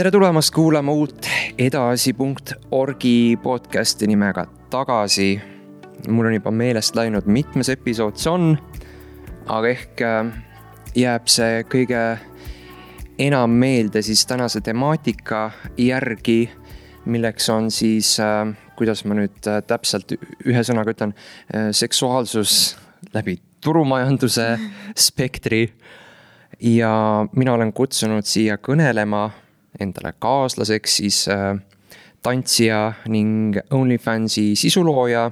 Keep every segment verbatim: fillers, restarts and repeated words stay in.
tere tulemast kuulama uut edasi punkt orgi podcasti nimega Tagasi. Mul on juba meelest läinud mitmes episood see on, aga ehk jääb see kõige enam meelde siis tänase temaatika järgi, milleks on siis, kuidas ma nüüd täpselt ühe sõnaga ütlen, seksuaalsus läbi turumajanduse spektri. Ja mina olen kutsunud siia kõnelema endale kaaslaseks siis äh, tantsija ning OnlyFansi sisulooja.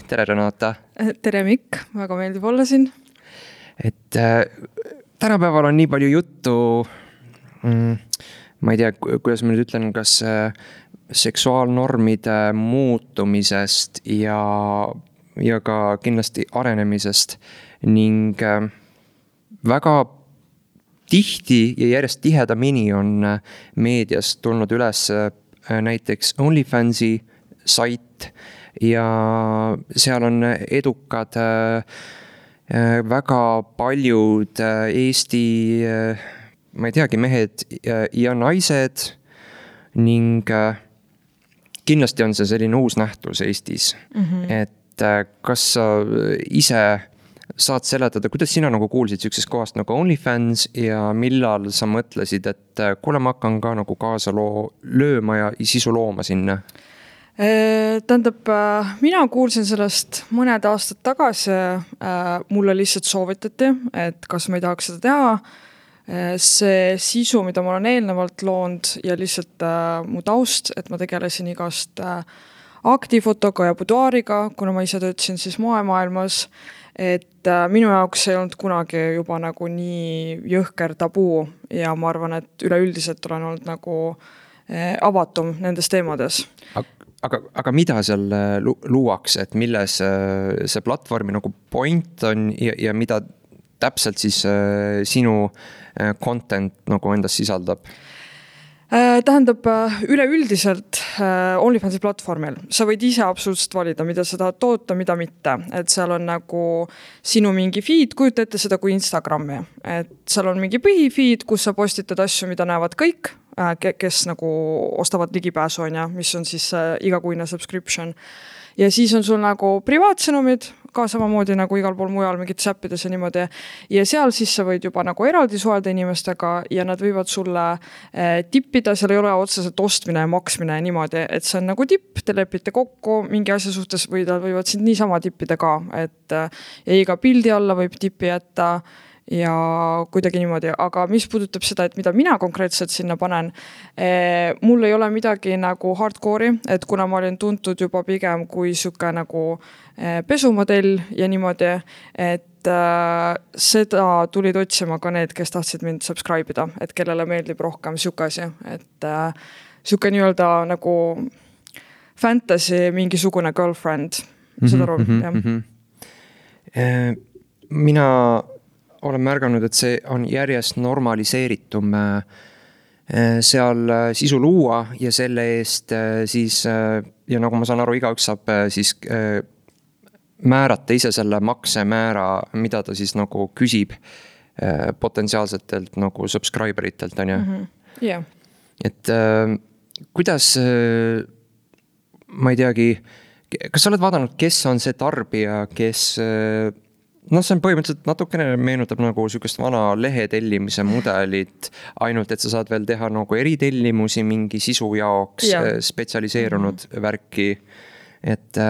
Tere Renata! Tere Mikk, väga meeldib olla siin. Et äh, tänapäeval on nii palju juttu, mm, ma ei tea, kuidas ma nüüd ütlen, kas äh, seksuaalnormide muutumisest ja, ja ka kindlasti arenemisest ning äh, väga tihti ja järjest tihedamini on meedias tulnud üles näiteks OnlyFansi sait ja seal on edukad väga paljud Eesti, ma ei teagi, mehed ja naised ning kindlasti on see selline uus nähtus Eestis. Mm-hmm. Et kas sa ise saad seletada, kuidas sina nagu kuulsid sükses kohast nagu OnlyFans ja millal sa mõtlesid, et kuule ma hakkan ka nagu kaasa loo, lööma ja sisu looma sinna? Tähendab, mina kuulsin sellest mõned aastad tagasi, mulle lihtsalt soovitati, et kas ma ei tahaks seda teha. See sisu, mida ma olen eelnevalt loonud ja lihtsalt mu taust, et ma tegelesin igast aktifotoga ja buduaariga, kuna ma ise töötasin siis moemaailmas, et minu jaoks ei olnud kunagi juba nagu nii jõhker tabu ja ma arvan, et üleüldiselt olen olnud nagu avatum nendes teemades. Aga, aga mida seal luuakse, et milles see platvormi nagu point on ja, ja mida täpselt siis sinu content nagu endas sisaldab? Tähendab, üleüldiselt OnlyFansi platvormil sa võid ise absoluutselt valida, mida sa tahad toota, mida mitte. Et seal on nagu sinu mingi feed, kujuta ette seda kui Instagrami. Et seal on mingi põhifeed, kus sa postitad asju, mida näevad kõik, kes nagu ostavad ligipääsu, mis on siis igakuine subscription. Ja siis on sul nagu privaatsõnumid, ka samamoodi nagu igal pool mujal mingid säppides ja niimoodi. Ja seal siis sa võid juba nagu eraldi suhelda inimestega ja nad võivad sulle eh, tippida, seal ei ole otseselt ostmine ja maksmine ja niimoodi, et see on nagu tipp, te lepite kokku mingi asja suhtes või nad võivad sind niisama tippida ka, et ja iga pildi alla võib tippi jätta ja kuidagi niimoodi, aga mis puudutab seda, et mida mina konkreetselt sinna panen, eh, mul ei ole midagi nagu hardcore'i, et kuna ma olin tuntud juba pigem kui suke nagu eh, pesumodell ja niimoodi, et äh, seda tulid otsima ka need, kes tahtsid mind subscribe ida, et kellele meeldib rohkem suke asi, et äh, suke nii-öelda nagu fantasy mingisugune girlfriend, mm-hmm, seda aru, mm-hmm, jah. Mm-hmm. Eh, mina olen märganud, et see on järjest normaliseeritum seal sisu luua ja selle eest siis, ja nagu ma saan aru, igaüks saab siis määrata ise selle maksemäära, mida ta siis nagu küsib potentsiaalsetelt nagu subscriberitelt, on ju? Mm-hmm. Yeah. Et kuidas, ma ei teagi, kas sa oled vaadanud, kes on see tarbija, kes no see on põhimõtteliselt natukene meenutab nagu sükest vana lehetellimise mudelit, ainult et sa saad veel teha nagu eritellimusi mingi sisu jaoks ja. spetsialiseerunud mm-hmm. värki. Et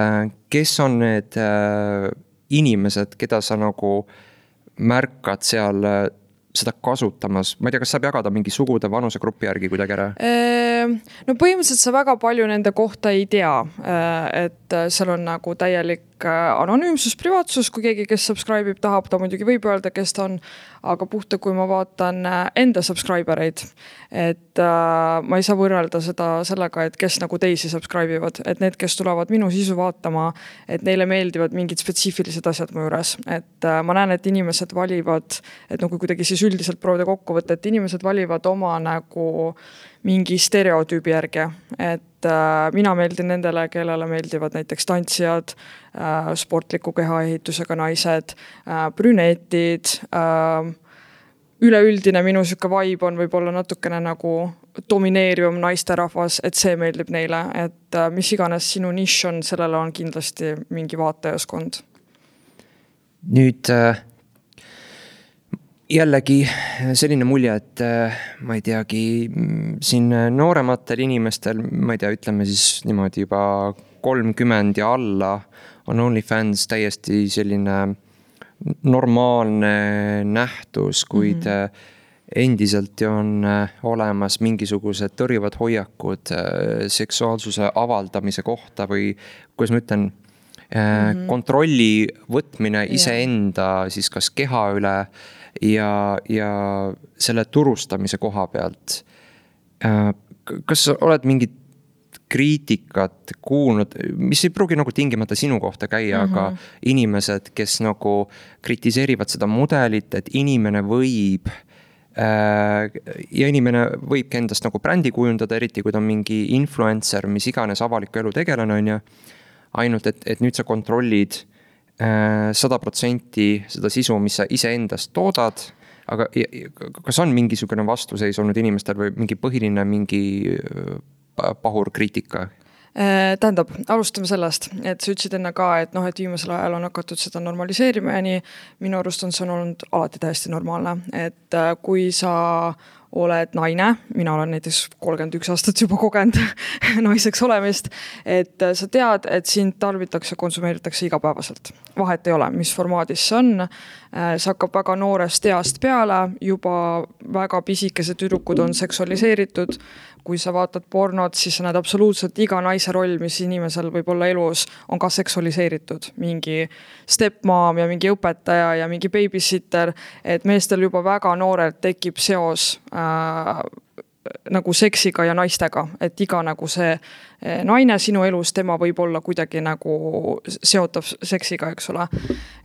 kes on need inimesed, keda sa nagu märkad seal seda kasutamas? Ma ei tea, kas saab jagada mingi sugude vanusegrupi järgi kuidagi ära? No põhimõtteliselt sa väga palju nende kohta ei tea, et seal on nagu täielik anonüümsus, privaatsus, kui keegi, kes subscribe ib, tahab, ta muidugi võib öelda, kes ta on, aga puhta, kui ma vaatan enda subscribereid, et äh, ma ei saa võrrelda seda sellega, et kes nagu teisi subscribe ivad, et need, kes tulevad minu sisu vaatama, et neile meeldivad mingid spetsiifilised asjad mu juures, et äh, ma näen, et inimesed valivad, et nagu kuidagi siis üldiselt proovida kokku võtta, et inimesed valivad oma nagu mingi stereotüübi järgi, et äh, mina meeldin nendele, kellele meeldivad näiteks tantsijad, äh, sportliku kehaehitusega naised, äh, brünetid, äh, üleüldine minu süke vibe on võib-olla natukene nagu domineerivam naisterahvas, et see meeldib neile, et mis iganes sinu nišš on, sellele on kindlasti mingi vaatajaskond. Nüüd jällegi selline mulje, et ma ei teagi, siin noorematel inimestel, ma ei tea, ütleme siis niimoodi juba kolmkümmend ja alla on OnlyFans täiesti selline normaalne nähtus, kuid mm-hmm. endiselt on olemas mingisugused tõrjuvad hoiakud seksuaalsuse avaldamise kohta või kuidas ma ütlen, mm-hmm. kontrolli võtmine iseenda siis kas keha üle ja, ja selle turustamise koha pealt. Kas oled mingit kriitikat kuulnud, mis ei pruugi nagu tingimata sinu kohta käia, mm-hmm. aga inimesed, kes nagu kritiseerivad seda mudelit, et inimene võib ja inimene võibki endast nagu brändi kujundada, eriti kui ta on mingi influencer, mis iganes avaliku elu tegelane on ja ainult, et, et nüüd sa kontrollid sada protsenti seda sisu, mis sa ise endast toodad, aga kas on mingisugune vastuseis olnud inimestel või mingi põhiline mingi pahur kriitika? Tähendab, alustame sellest, et sa ütlesid enne ka, et noh, et viimasel ajal on hakatud seda normaliseerima ja nii minu arust on see olnud alati täiesti normaalne, et kui sa oled naine, mina olen näiteks kolmkümmend üks aastat juba kogenud naiseks olemist, et sa tead, et sind tarbitakse, konsumeeritakse igapäevaselt. Vahet ei ole, mis formaadis see on. See hakkab väga noorest east peale, juba väga pisikesed tüdrukud on seksualiseeritud. Kui sa vaatad pornot, siis sa näed absoluutselt iga naise roll, mis inimesel võib olla elus, on ka seksualiseeritud. Mingi stepmom ja mingi õpetaja ja mingi babysitter, et meestel juba väga noorelt tekib seos äh, nagu seksiga ja naistega, et iga nagu see naine sinu elus, tema võib olla kuidagi nagu seotav seksiga, eks ole.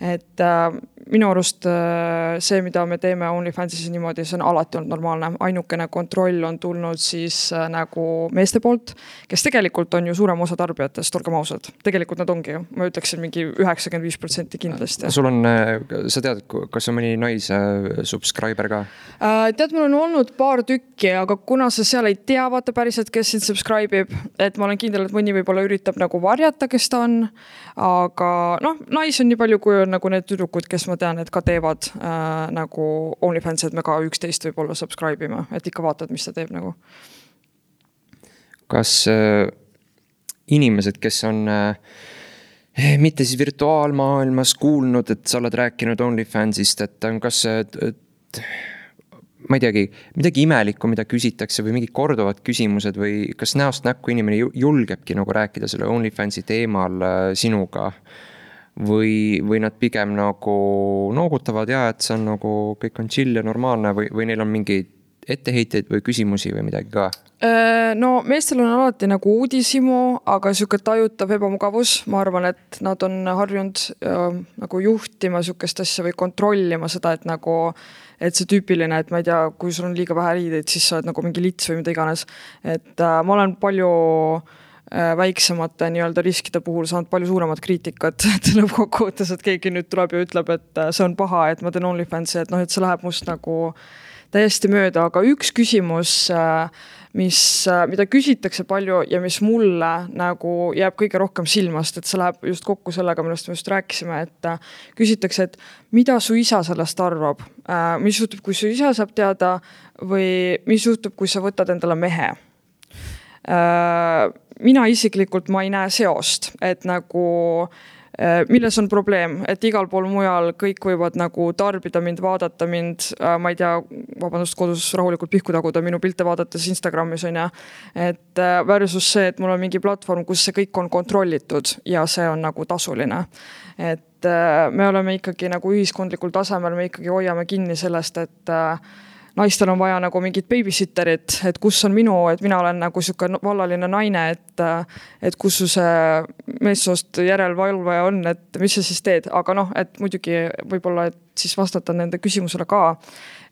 Et äh, minu arust äh, see, mida me teeme OnlyFansis niimoodi, see on alati olnud normaalne. Ainukene kontroll on tulnud siis äh, nagu meeste poolt, kes tegelikult on ju suurem osa tarbijatest, olgem ausad. Tegelikult nad ongi ju, ma ütleksin mingi üheksakümmend viis protsenti kindlasti. Sul on, sa tead, kas on mõni naise subscriber ka? Äh, tead, mul on olnud paar tükki, aga kuna sa seal ei tea, vaata päriselt, kes sind subscribe ib, et ma olen kindel, et mõni võib-olla üritab nagu varjata, kes ta on, aga noh, nais on nii palju, kui on nagu need tüdrukud, kes ma tean, et ka teevad äh, nagu OnlyFans, et me ka üksteist võib-olla subscribe ime, et ikka vaatad, mis ta teeb nagu. Kas äh, inimesed, kes on äh, mitte siis virtuaalmaailmas kuulnud, et sa oled rääkinud OnlyFansist, et kas et, ma ei teagi, midagi imelikku, mida küsitakse või mingid korduvad küsimused või kas näost näkku inimene julgebki nagu rääkida selle OnlyFansi teemal sinuga või, või nad pigem nagu noogutavad ja, et see on nagu kõik on chill ja normaalne või, või neil on mingi etteheiteid või küsimusi või midagi ka? No meestel on alati nagu uudisimu, aga siuke tajutav ebamugavus. Ma arvan, et nad on harjunud äh, nagu juhtima siukest asja või kontrollima seda, et nagu et see tüüpiline, et ma ei tea, kui sul on liiga vähe riideid, siis sa oled nagu mingi lits või mida iganes. Et äh, ma olen palju äh, väiksemate nii-öelda riskide puhul saanud palju suuremat kriitikat, et lõppkokkuvõttes, et keegi nüüd tuleb ja ütleb, et äh, see on paha, et ma teen OnlyFansi, et noh, et see läheb must nagu täiesti mööda, aga üks küsimus, mis, mida küsitakse palju ja mis mulle nagu jääb kõige rohkem silmast, et see läheb just kokku sellega, millest me just rääkisime, et küsitakse, et mida su isa sellest arvab, mis juhtub, kui su isa saab teada või mis juhtub, kui sa võtad endale mehe. Mina isiklikult ma ei näe seost, et nagu milles on probleem, et igal pool mujal kõik võivad nagu tarbida mind, vaadata mind, ma ei tea, vabandust, kodus rahulikult pihku taguda minu pilte vaadates Instagramis on ja, et versus see, et mul on mingi platvorm, kus see kõik on kontrollitud ja see on nagu tasuline. Et me oleme ikkagi nagu ühiskondlikul tasemel, me ikkagi hoiame kinni sellest, et naistel on vaja nagu mingit babysitterit, et kus on minu, et mina olen nagu siuke vallaline naine, et, et kus su see meessoost järelvalvaja on, et mis sa siis teed, aga noh, et muidugi võib-olla, et siis vastata nende küsimusele ka,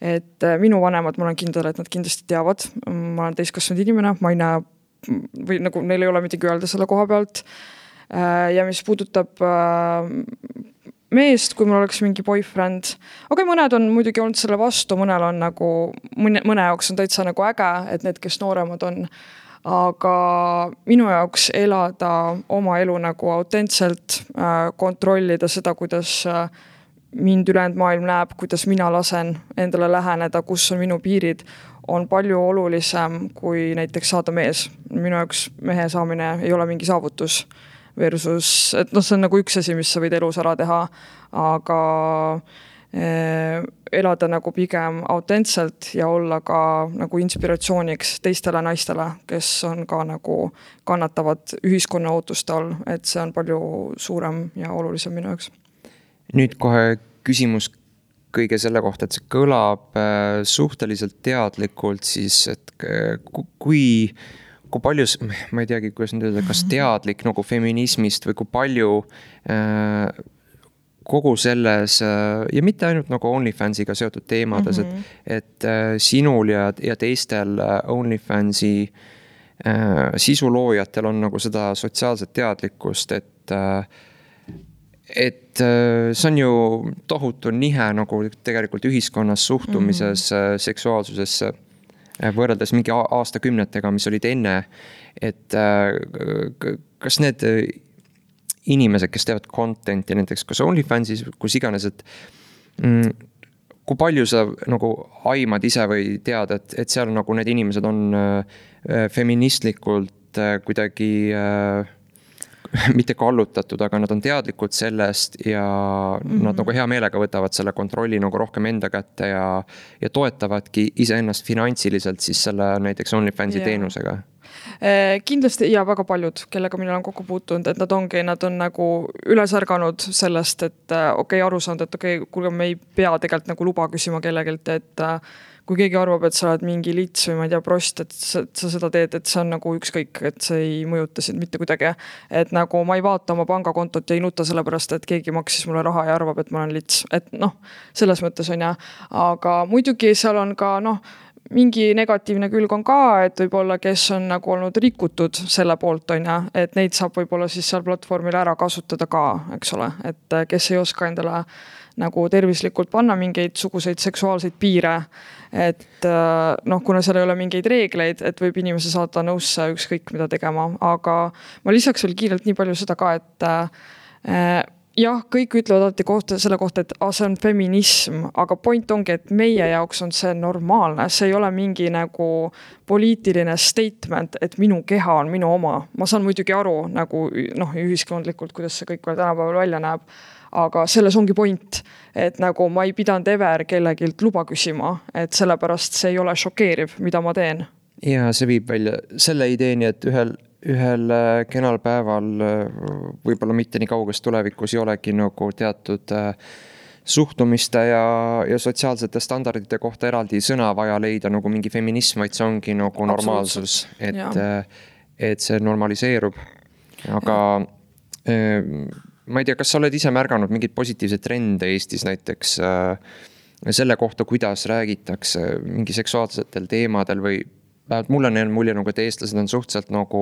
et minu vanemad, ma olen kindel, et nad kindlasti teavad, ma olen täiskasvanud inimene, ma ei näe, või nagu neil ei ole midagi öelda selle koha pealt ja mis puudutab meest, kui mul oleks mingi boyfriend. Okei, mõned on muidugi olnud selle vastu, mõnel on nagu, mõne, mõne jaoks on täitsa nagu äge, et need, kes nooremad on. Aga minu jaoks elada oma elu nagu autentselt, kontrollida seda, kuidas mind ülejäänud maailm näeb, kuidas mina lasen endale läheneda, kus on minu piirid, on palju olulisem kui näiteks saada mees. Minu jaoks mehe saamine ei ole mingi saavutus versus, et noh, see on nagu üks asi, mis sa võid elus ära teha, aga eh, elada nagu pigem autentselt ja olla ka nagu inspiratsiooniks teistele naistele, kes on ka nagu kannatavad ühiskonna ootuste all, et see on palju suurem ja olulisem minu jaoks. Nüüd kohe küsimus kõige selle kohta, et see kõlab suhteliselt teadlikult, siis et kui, kui palju, ma ei teagi, kuidas nüüd öelda, kas teadlik nagu feminismist või kui palju kogu selles, ja mitte ainult nagu OnlyFansiga seotud teemades, mm-hmm. et, et sinul ja, ja teistel OnlyFansi sisuloojatel on nagu seda sotsiaalset teadlikkust, et et see on ju tohutu nihe nagu tegelikult ühiskonnas suhtumises mm-hmm. seksuaalsusesse võrreldes mingi aastakümnetega, mis olid enne, et kas need inimesed, kes teevad contenti näiteks kas OnlyFansis, kus iganes, et kui palju sa nagu aimad ise või tead, et, et seal nagu need inimesed on feministlikult kuidagi mitte kallutatud, aga nad on teadlikud sellest ja mm-hmm. nad nagu hea meelega võtavad selle kontrolli nagu rohkem enda kätte ja, ja toetavadki iseennast finantsiliselt siis selle näiteks OnlyFansi yeah. teenusega. Kindlasti ja väga paljud, kellega mina olen kokku puutunud, et nad ongi, nad on nagu üles ärganud sellest, et okei, aru saanud, et okei, kuulge, me ei pea tegelikult nagu luba küsima kellegilt, et kui keegi arvab, et sa oled mingi lits või ma ei tea, prost, et sa, sa seda teed, et see on nagu ükskõik, et see ei mõjuta sind mitte kuidagi. Et nagu ma ei vaata oma pangakontot ja ei nuta sellepärast, et keegi maksis mulle raha ja arvab, et ma olen lits. Et noh, selles mõttes on ja. Aga muidugi seal on ka noh, mingi negatiivne külg on ka, et võib-olla kes on nagu olnud rikutud selle poolt on ja, et neid saab võib-olla siis seal platvormil ära kasutada ka, eks ole, et kes ei oska endale nagu tervislikult panna mingeid suguseid seksuaalseid piire, et noh, kuna seal ei ole mingeid reegleid, et võib inimese saada nõusse ükskõik mida tegema, aga ma lisaks veel kiirelt nii palju seda ka, et äh, jah, kõik ütlevad alati kohta, selle kohta, et ah, see on feminism, aga point ongi, et meie jaoks on see normaalne, see ei ole mingi nagu poliitiline statement, et minu keha on minu oma. Ma saan muidugi aru nagu noh, ühiskondlikult, kuidas see kõik veel tänapäeval välja näeb, aga selles ongi point, et nagu ma ei pidanud ever kellegilt luba küsima, et sellepärast see ei ole šokeeriv, mida ma teen. Ja see viib välja selle ideeni, et ühel ühel kenal päeval võib-olla mitte nii kauges tulevikus ei olegi nagu teatud suhtumiste ja, ja sotsiaalsete standardite kohta eraldi sõna vaja leida nagu mingi feminism, vaid see ongi nagu normaalsus, et, et see normaliseerub. Aga ma ei tea, kas sa oled ise märganud mingid positiivsed trende Eestis näiteks selle kohta, kuidas räägitakse mingi seksuaalsetel teemadel või mulle on mulje, nagu, et eestlased on suhteliselt nagu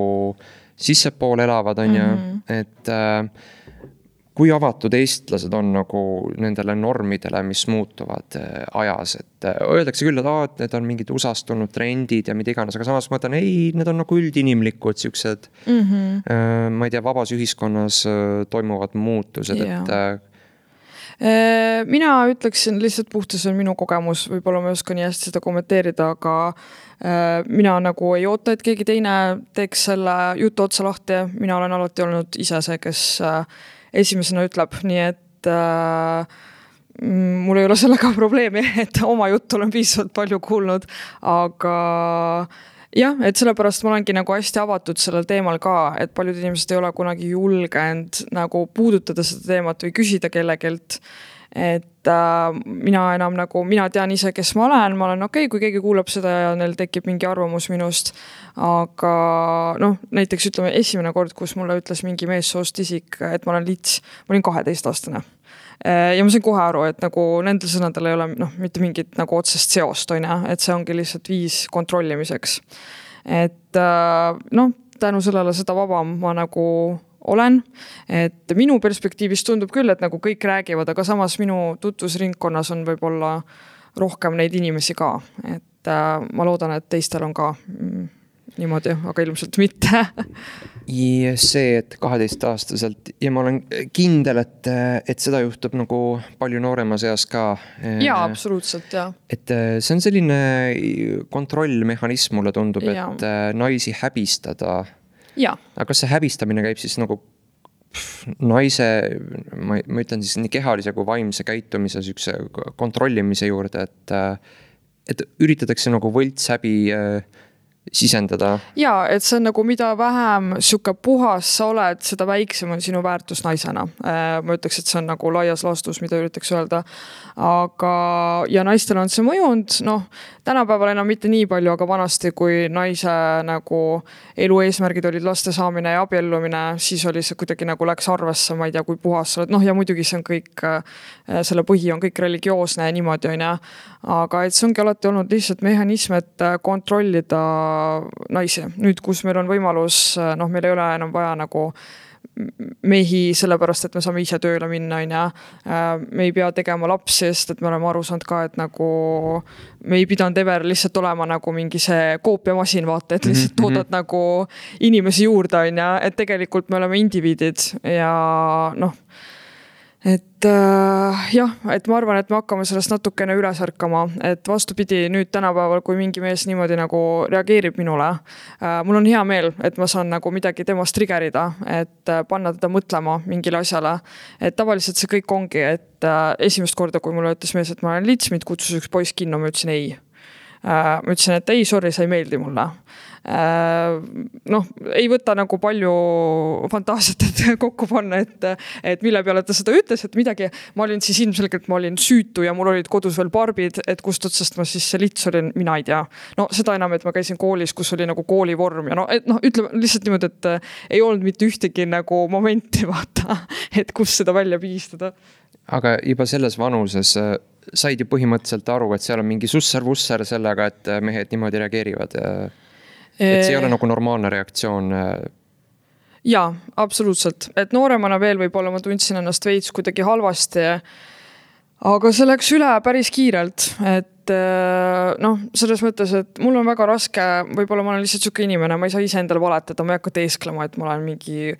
sissepool elavad, on ja, mm-hmm. et äh, kui avatud eestlased on nagu nendele normidele, mis muutuvad äh, ajas, et äh, öeldakse küll, et, aa, et need on mingid usastunud trendid ja mida iganes, aga samas mõtlen, ei, need on nagu üldinimlikud siuksed, mm-hmm. äh, ma ei tea, vabas ühiskonnas äh, toimuvad muutused, yeah. et äh, mina ütleksin lihtsalt puhtas on minu kogemus, võib-olla ma ei oska nii hästi seda kommenteerida, aga mina nagu ei oota, et keegi teine teeks selle jutu otsa lahti. Mina olen alati olnud ise see, kes esimesena ütleb, nii et mul ei ole sellega probleemi, et oma juttu olen piisavalt palju kuulnud, aga jah, et sellepärast ma olengi nagu hästi avatud sellel teemal ka, et paljud inimesed ei ole kunagi julgenud nagu puudutada seda teemat või küsida kellegilt, et äh, mina enam nagu, mina tean ise, kes ma olen, ma olen okei, okay, kui keegi kuulab seda ja neil tekib mingi arvamus minust, aga noh, näiteks ütleme esimene kord, kus mulle ütles mingi meessoost isik, et ma olen lits, ma olin kaheteistaastane. Ja ma sain kohe aru, et nagu nendel sõnadel ei ole noh, mitte mingit nagu otsest seost, on ja, et see ongi lihtsalt viis kontrollimiseks. Et noh, tänu sellele seda vabam ma nagu olen, et minu perspektiivist tundub küll, et nagu kõik räägivad, aga samas minu tutvusringkonnas on võib-olla rohkem neid inimesi ka, et äh, ma loodan, et teistel on ka mm, niimoodi, aga ilmselt mitte. Ja see, et kaheteistaastaselt ja ma olen kindel, et, et seda juhtub nagu palju nooremas eas ka. Jaa, absoluutselt, jah. Et see on selline kontrollmehhanism, mulle tundub, ja. Et naisi häbistada. Ja. Aga kas see häbistamine käib siis nagu pff, naise, ma, ma ütlen siis nii kehalise kui vaimse käitumise sükse kontrollimise juurde, et, et üritatakse nagu võltshäbi sisendada. Jaa, et see on nagu mida vähem süke puhas sa oled, seda väiksem on sinu väärtus naisena. Ma ütleks, et see on nagu laias laastus, mida üritaks öelda. Aga, ja naistel on see mõjund, noh, tänapäeval enam mitte nii palju, aga vanasti, kui naise nagu elu eesmärgid olid laste saamine ja abiellumine, siis oli see kuidagi nagu läks arvesse, ma ei tea, kui puhas sa oled. Noh, ja muidugi see on kõik, selle põhi on kõik religioosne ja niimoodi on ja. Aga et see ongi alati olnud lihtsalt mehhanism, et kontrollida naisi. Nüüd, kus meil on võimalus, noh, meil ei ole enam vaja nagu mehi sellepärast, et me saame ise tööle minna, ja me ei pea tegema lapsi, sest et me oleme aru saanud ka, et nagu me ei pidanud ever lihtsalt olema nagu mingi see koopiamasin, vaata, et lihtsalt toodad nagu inimesi juurde, ja et tegelikult me oleme indiviidid ja noh, et äh, jah, et ma arvan, et me hakkame sellest natukene üles ärkama, et vastupidi nüüd tänapäeval, kui mingi mees niimoodi nagu reageerib minule, äh, mul on hea meel, et ma saan nagu midagi temast triggerida, et äh, panna teda mõtlema mingile asjale, et tavaliselt see kõik ongi, et äh, esimest korda, kui mulle ütles mees, et ma olen lits, mind kutsus üks poiss kinno, ma ütlesin ei. Äh, ma ütlesin, et ei, sorry, sa ei meeldi mulle. Noh, ei võta nagu palju fantaasiat, et kokku panna, et, et mille peale ta seda ütles, et midagi, ma olin siis ilmselgelt, ma olin süütu ja mul olid kodus veel barbid, et kust otsast ma siis see lits olin, mina ei tea. No seda enam, et ma käisin koolis, kus oli nagu koolivorm ja no, et, no ütleme lihtsalt niimoodi, et ei olnud mitte ühtegi nagu momenti vaata, et kus seda välja piistada. Aga juba selles vanuses said ju põhimõtteliselt aru, et seal on mingi susser-vusser sellega, et mehed niimoodi reageerivad ja et see ei ole nagu normaalne reaktsioon. Jaa, absoluutselt. Et nooremana veel võib-olla ma tundsin ennast veits kuidagi halvasti, aga see läks üle päris kiirelt. Et noh, selles mõttes, et mul on väga raske, võib-olla ma olen lihtsalt suke inimene, ma ei saa ise endale valetada, ma ei hakka teesklema, et ma olen mingi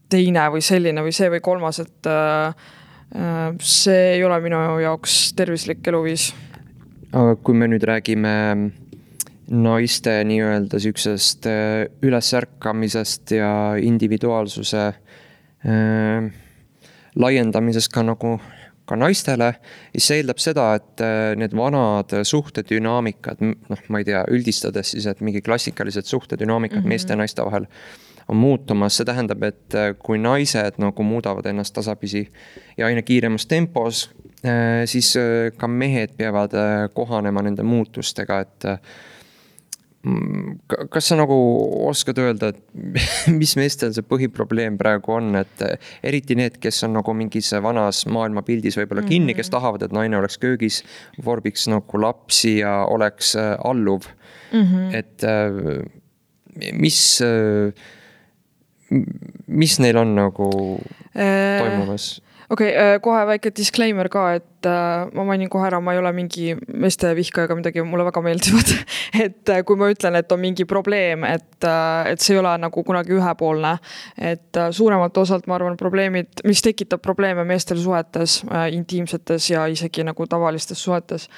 teine või selline või see või kolmas, et see ei ole minu jaoks tervislik eluviis. Aga kui me nüüd räägime naiste nii-öelda süksest ülesärkamisest ja individuaalsuse äh, laiendamisest ka nagu ka naistele, siis see eeldab seda, et need vanad suhtedünaamikad, noh, ma ei tea, üldistades siis, et mingi klassikalised suhtedünaamikad mm-hmm. meeste ja naiste vahel on muutumas. See tähendab, et kui naised nagu muudavad ennast tasapisi ja aina kiiremas tempos, äh, siis ka mehed peavad kohanema nende muutustega, et kas sa nagu oskad öelda, et mis meestel see põhiprobleem praegu on, et eriti need, kes on nagu mingis vanas maailmapildis võib-olla kinni, kes tahavad, et naine oleks köögis, vorbiks nagu lapsi ja oleks alluv. Mm-hmm. Et mis, mis neil on nagu toimumas? Okei, okay, kohe väike disclaimer ka, et ma mainin kohe ära, ma ei ole mingi meeste vihka ega midagi, mulle väga meeldivad. Et kui ma ütlen, et on mingi probleem, et, et see ei ole nagu kunagi ühepoolne, et suuremalt osalt ma arvan probleemid, mis tekitab probleeme meestel suhetes, intiimsetes ja isegi nagu tavalistes suhetes,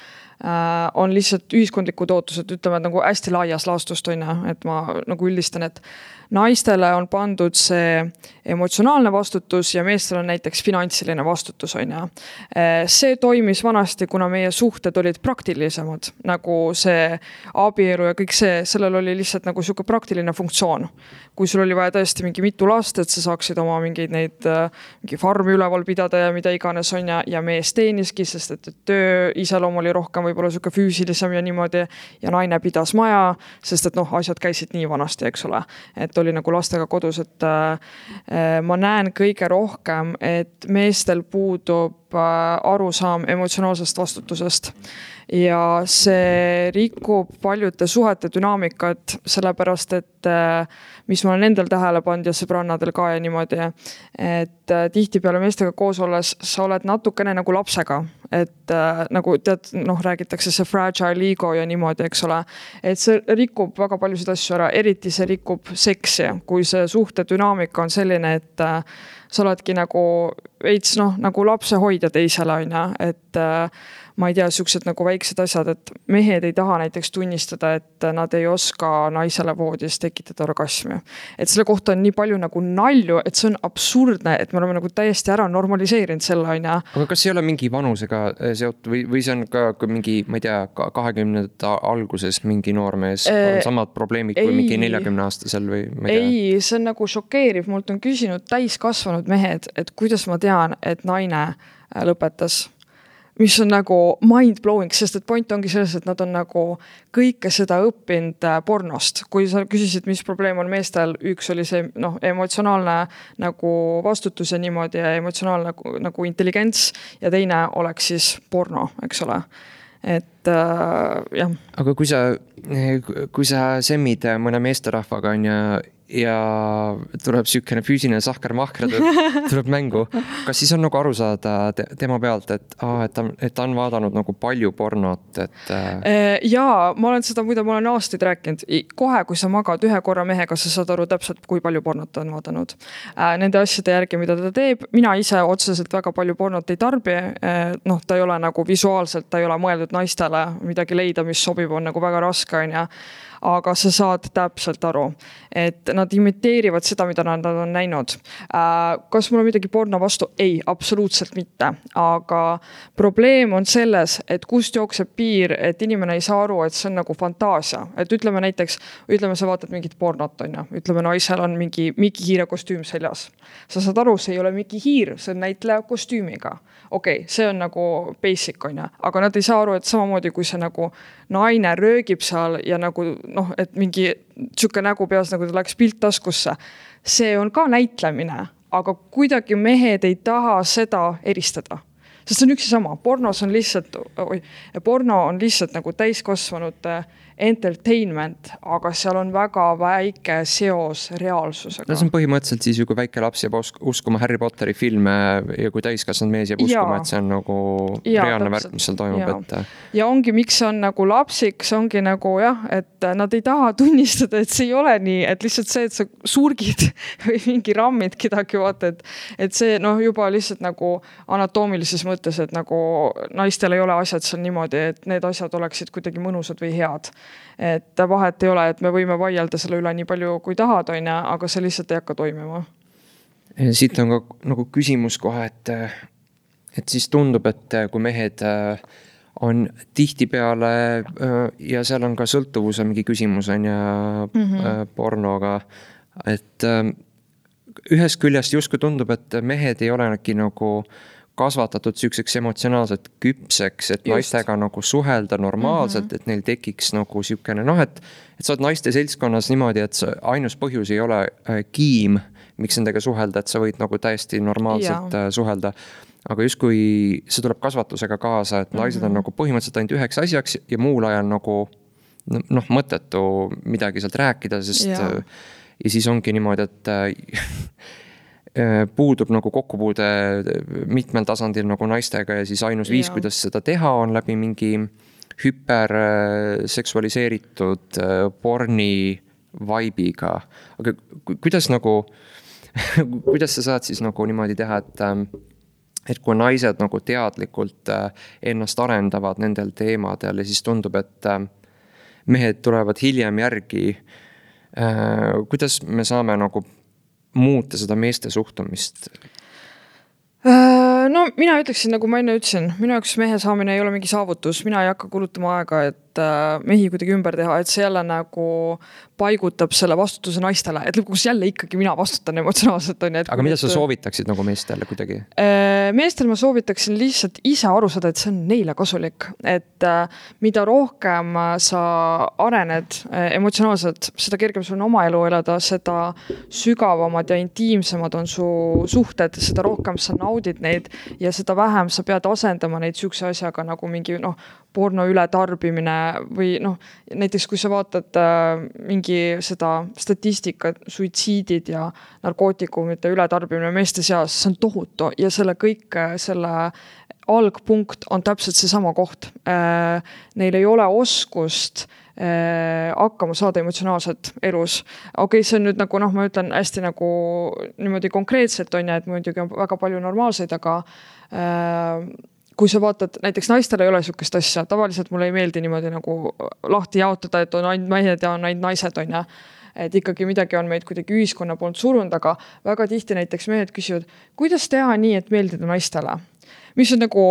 on lihtsalt ühiskondlikud ootused, ütleme nagu hästi laias laastust on, et ma nagu üldistan, et naistele on pandud see emotsionaalne vastutus ja meestel on näiteks finantsiline vastutus on. See toimis vanasti, kuna meie suhted olid praktilisemad, nagu see abielu ja kõik see, sellel oli lihtsalt nagu siuke praktiline funktsioon. Kui sul oli vaja tõesti mingi mitu last, et sa saaksid oma mingeid neid mingi farmi üleval pidada ja mida iganes on ja, ja mees teeniski, sest et töö iseloom oli rohkem võib-olla siuke füüsilisem ja niimoodi ja naine pidas maja, sest et noh, asjad käisid nii vanasti, eks ole. Et oli nagu lastega kodus, et äh, ma näen kõige rohkem, et meestel puudub äh, arusaam emotsionaalsest vastutusest. ja see rikub paljude suhete dünaamikat, sellepärast et mis ma olen endal tähele pannud ja sõbrannadel ka ja niimoodi, et tihtipeale meestega koos olles sa oled natukene nagu lapsega, et nagu tead, noh, räägitakse see fragile ego ja niimoodi, eks ole, et see rikub väga paljusid asju ära, eriti see rikub seksi, kui see suhte dünaamika on selline, et sa oledki nagu veits, noh, nagu lapse hoida teisele, on ja, et ma ei tea, siuksed nagu väiksed asjad, et mehed ei taha näiteks tunnistada, et nad ei oska naisele voodis tekitada orgasmi. Et selle kohta on nii palju nagu nalju, et see on absurdne, et me oleme nagu täiesti ära normaliseerinud selle, on ja. Aga kas ei ole mingi vanusega seotud või, või see on ka mingi, ma ei tea, kahekümnendate alguses mingi noormees on samad probleemid kui ei, mingi neljakümne aastasel või ma ei tea? Ei, see on nagu šokeeriv. Mult on küsinud täiskasvanud mehed, et kuidas ma tean, et naine lõpetas. Mis on nagu mind-blowing, sest et point ongi selles, et nad on nagu kõike seda õppinud pornost. Kui sa küsisid, mis probleem on meestel, üks oli see noh, emotsionaalne nagu vastutus ja niimoodi ja emotsionaalne nagu, nagu intelligents ja teine oleks siis porno, eks ole. Et äh, jah. Aga kui sa, kui sa semmid mõne meesterahvaga on ja ja tuleb sükene füüsiline sahker-mahker tuleb mängu. Kas siis on nagu aru saada tema pealt, et, aa, et, ta, et ta on vaadanud nagu palju pornot? Et... Jaa, ma olen seda, muide ma olen aastaid rääkinud. Kohe, kui sa magad ühe korra mehega, sa saad aru täpselt, kui palju pornot on vaadanud. Nende asjade järgi, mida ta teeb. Mina ise otseselt väga palju pornot ei tarbi. Noh, ta ei ole nagu visuaalselt, ta ei ole mõeldud naistele midagi leida, mis sobib, on nagu väga raske, on ja. Aga sa saad täpselt aru, et nad imiteerivad seda, mida nad on näinud. Kas mul on midagi porno vastu? Ei, absoluutselt mitte. Aga probleem on selles, et kust jookseb piir, et inimene ei saa aru, et see on nagu fantaasia. Et ütleme näiteks, ütleme sa vaatad mingit pornot, on ja. Ütleme naisel on mingi Miki Hiire kostüüm seljas. Sa saad aru, see ei ole Miki Hiir, see on näitleja kostüümiga. Okei, okay, see on nagu basic, on ja. Aga nad ei saa aru, et samamoodi kui see nagu naine röögib seal ja nagu noh, et mingi tšuke nägu peas, nagu ta läks pilt taskusse. See on ka näitlemine, aga kuidagi mehed ei taha seda eristada. Sest see on üks ja sama. Pornos on lihtsalt, oi, porno on lihtsalt nagu täiskasvanud entertainment, aga seal on väga väike seos reaalsusega. See on põhimõtteliselt siis ju, kui väike laps jääb uskuma Harry Potteri filme ja kui täiskasvanud mees jääb uskuma, et see on nagu ja, reaalne värk, mis seal toimub. Ja. Et... ja ongi, miks see on nagu lapsik, see ongi nagu jah, et nad ei taha tunnistada, et see ei ole nii, et lihtsalt see, et sa surgid või mingi rammid kedagi vaata, et, et see noh, juba lihtsalt nagu anatoomilises mõttes, et nagu naistel ei ole asjad seal niimoodi, et need asjad oleksid kuidagi mõnusad või head. Et vahet ei ole, et me võime vaielda selle üle nii palju kui tahad, on ja, aga see lihtsalt ei hakka toimima. Siit on ka nagu küsimus kohe, et, et siis tundub, et kui mehed on tihti peale ja seal on ka sõltuvuse mingi küsimus on ja mm-hmm. pornoga, et ühest küljest justkui tundub, et mehed ei ole nagu kasvatatud süükseks emotsionaalselt küpseks, et Just. naistega nagu suhelda normaalselt, mm-hmm. et neil tekiks nagu sükene, noh, et, et sa oled naiste seltskonnas niimoodi, et sa, ainus põhjus ei ole kiim, miks nendega suhelda, et sa võid nagu täiesti normaalselt ja. suhelda. Aga just kui see tuleb kasvatusega kaasa, et naised mm-hmm. on nagu põhimõtteliselt ainult üheks asjaks ja muul ajal nagu noh, mõttetu midagi sealt rääkida, sest ja, ja siis ongi niimoodi, et puudub nagu kokkupuude mitmel tasandil nagu naistega ja siis ainus viis, ja. kuidas seda teha, on läbi mingi hüperseksualiseeritud porni vaibiga. Aga kuidas nagu, kuidas sa saad siis nagu niimoodi teha, et, et kui naised nagu teadlikult ennast arendavad nendel teemadel ja siis tundub, et mehed tulevad hiljem järgi, kuidas me saame nagu muuta seda meeste suhtumist? No mina ütleksin, nagu ma enne ütlesin, minu jaoks mehe saamine ei ole mingi saavutus, mina ei hakka kulutama aega, et mehi kuidagi ümber teha, et see jälle nagu paigutab selle vastutuse naistele, et lõpuks jälle ikkagi mina vastutan emotsionaalselt. On, et aga mida sa soovitaksid nagu meestele kuidagi? Meestel ma soovitaksin lihtsalt ise aru saada, et see on neile kasulik, et mida rohkem sa arened emotsionaalselt, seda kergem sul on oma elu elada, seda sügavamad ja intiimsemad on su suhted, seda rohkem sa naudid neid ja seda vähem sa pead asendama neid sükse asjaga nagu mingi noh, porno ületarbimine või noh, näiteks kui sa vaatad äh, mingi seda statistikat, suitsiidid ja narkootikumite ületarbimine meeste seas, see on tohutu ja selle kõik, selle algpunkt on täpselt seesama koht. Äh, neil ei ole oskust äh, hakkama saada emotsionaalselt elus. Okei, okay, see on nüüd nagu, noh, ma ütlen hästi nagu niimoodi konkreetselt on ja, et muidugi on väga palju normaalseid, aga äh, kui sa vaatad, näiteks naistel ei ole sükest asja, tavaliselt mulle ei meeldi niimoodi nagu lahti jaotada, et on ainult mehed ja on ainult naised, on ja. Et ikkagi midagi on meid kuidagi ühiskonna poolt surunud, aga väga tihti näiteks mehed küsivad, kuidas teha nii, et meeldida naistele? Mis on nagu,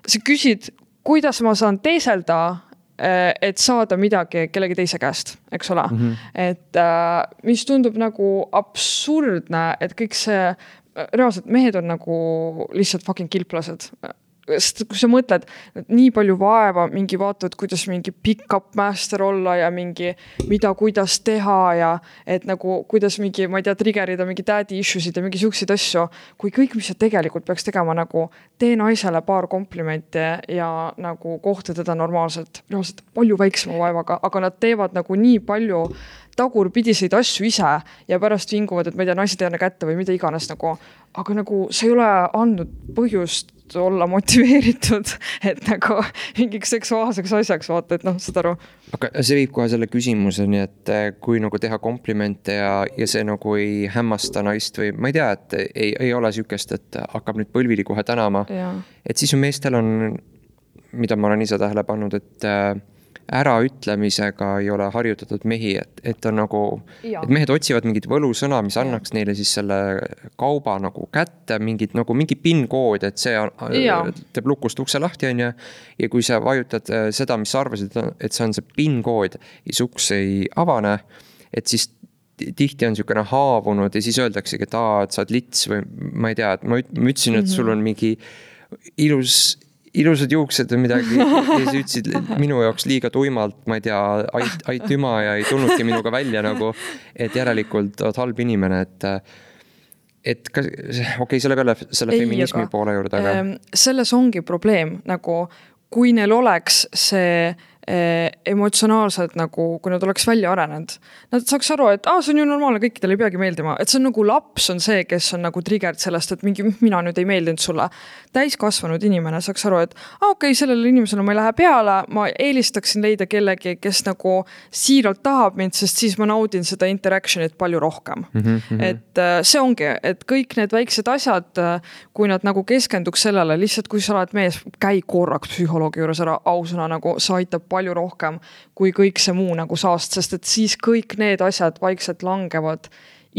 sa küsid, kuidas ma saan teeselda, et saada midagi kellegi teise käest, eks ole. Mm-hmm. Et mis tundub nagu absurdne, et kõik see, reaalselt mehed on nagu lihtsalt fucking kilplased. Sest kui sa mõtled, et nii palju vaeva, mingi vaatavad, kuidas mingi pick-up master olla ja mingi mida, kuidas teha ja et nagu kuidas mingi, ma ei tea, triggerida mingi daddy issuesid ja mingi siukseid asju, kui kõik, mis sa tegelikult peaks tegema, nagu tee naisele paar komplimenti ja nagu kohta teda normaalselt, reaalselt palju väiksema vaevaga, aga nad teevad nagu nii palju tagurpidiseid asju ise ja pärast vinguvad, et ma ei tea, naised ei anna kätte või mida iganes nagu, aga nagu see ei ole andnud põhjust olla motiveeritud, et nagu mingiks seksuaalseks asjaks vaata, et noh, saad aru. Aga see viib kohe selle küsimuseni, et kui nagu teha komplimente ja, ja see nagu ei hämmasta naist või ma ei tea, et ei, ei ole sükest, et hakkab nüüd põlvili kohe tänama. Ja. Et siis ju meestel on, mida ma olen ise tähele pannud, et äraütlemisega ei ole harjutatud mehi, et, et on nagu, ja. Et mehed otsivad mingit võlusõna, mis annaks ja. Neile siis selle kauba nagu kätte, mingit nagu mingi PIN-kood, et see on, teeb lukust ukse lahti on ja, ja kui sa vajutad seda, mis sa arvasid, et see on see PIN-kood ja see uks ei avane, et siis tihti on niisugune haavunud ja siis öeldaksegi, et aa, et sa oled lits või ma ei tea, et ma ütlesin, et sul on mingi ilus ilusad juuksed või midagi ja siis ütlesid minu jaoks liiga tuimalt, ma ei tea, ait, aitüma ja ei tulnudki minuga välja nagu, et järelikult oled halb inimene, et et ka, okei, okay, selle peale selle ei, feminismi aga, poole juurde, aga selles ongi probleem, nagu kui neil oleks see emotsionaalselt nagu, kui nad oleks välja arenenud. Nad saaks aru, et ah, see on ju normaalne, kõikidel ei peagi meeldima. Et see on nagu laps on see, kes on nagu triggerd sellest, et mingi mina nüüd ei meeldinud sulle. Täiskasvanud inimene saaks aru, et ah, okei, okay, sellele inimesele ma ei lähe peale, ma eelistaksin leida kellegi, kes nagu siiralt tahab mind, sest siis ma naudin seda interactionit palju rohkem. Mm-hmm. Et see ongi, et kõik need väiksed asjad, kui nad nagu keskenduks sellele, lihtsalt kui sa oled mees, käi korraks psühholoogi juures ära ausõna, nagu sa aitab palju rohkem kui kõik see muu nagu saast, sest et siis kõik need asjad vaikselt langevad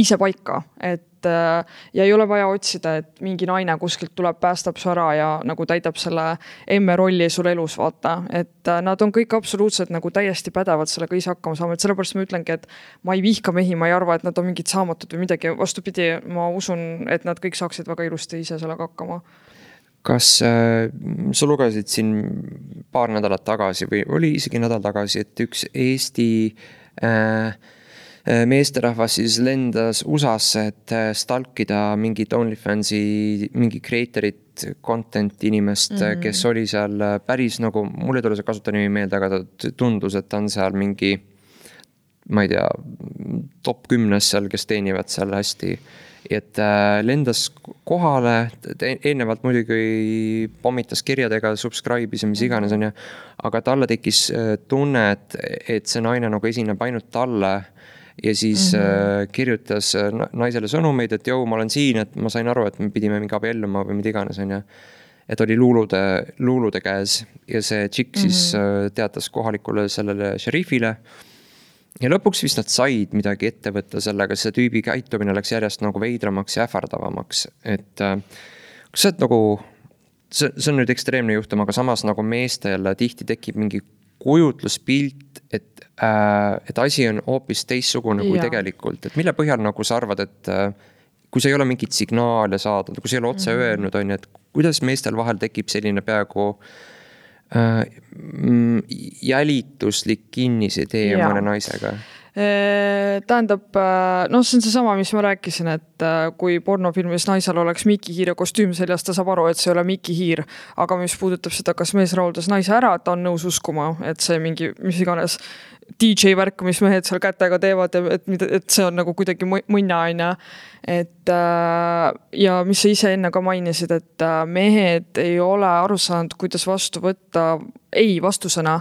ise paika, et ja ei ole vaja otsida, et mingi naine kuskilt tuleb, päästab su ära ja nagu täidab selle emme rolli sul elus, vaata, et nad on kõik absoluutselt nagu täiesti pädevad sellega ise hakkama saama, et sellepärast ma ütlengi, et ma ei vihka mehi, ma ei arva, et nad on mingid saamatud või midagi, vastupidi, ma usun, et nad kõik saaksid väga ilusti ise sellega hakkama. Kas äh, sa lugesid siin paar nädalat tagasi või oli isegi nädal tagasi, et üks Eesti äh, meesterahvas siis lendas U S A-sse, et stalkida mingit OnlyFansi, mingi creatorit, content inimest, mm-hmm. kes oli seal päris nagu, mulle tule see kasutanimi meelde, aga ta tundus, et ta on seal mingi, ma ei tea, top kümnes seal, kes teenivad seal hästi. Et lendas kohale, eelnevalt muidugi pommitas kirjadega, subscribe'is ja mis iganes on ja, aga talle tekkis tunne, et, et see naine nagu esineb ainult talle ja siis mm-hmm. kirjutas naisele sõnumeid, et jõu, ma olen siin, et ma sain aru, et me pidime mingi abielluma või mida iganes on ja, et oli luulude, luulude käes ja see tšikk mm-hmm. siis teatas kohalikule sellele šerifile. Ja lõpuks vist nad said midagi ette võtta sellega, see tüübi käitumine läks järjest nagu veidramaks ja ähvardavamaks. Et kas see, nagu, see, see on nüüd ekstreemne juhtum, aga samas nagu meestel tihti tekib mingi kujutluspilt, et, äh, et asi on hoopis teissugune kui ja. Tegelikult. Et mille põhjal nagu sa arvad, et äh, kui sa ei ole mingit signaale saada, kui sa ei ole otse mm-hmm. öelnud, on, et kuidas meestel vahel tekib selline peaaegu jälituslik kinnisidee mõne naisega? Tähendab, noh, see on see sama, mis ma rääkisin, et kui pornofilmis naisel oleks Miki Hiire kostüüm seljas, ta saab aru, et see ei ole Miki Hiir, aga mis puudutab seda, kas mees rahuldas naise ära, ta on nõus uskuma, et see mingi, mis iganes D J värk, mis mehed seal kätega teevad, et, et see on nagu kuidagi mõnna aina. Et ja mis sa ise enne ka mainisid, et mehed ei ole aru saanud, kuidas vastu võtta ei vastusena.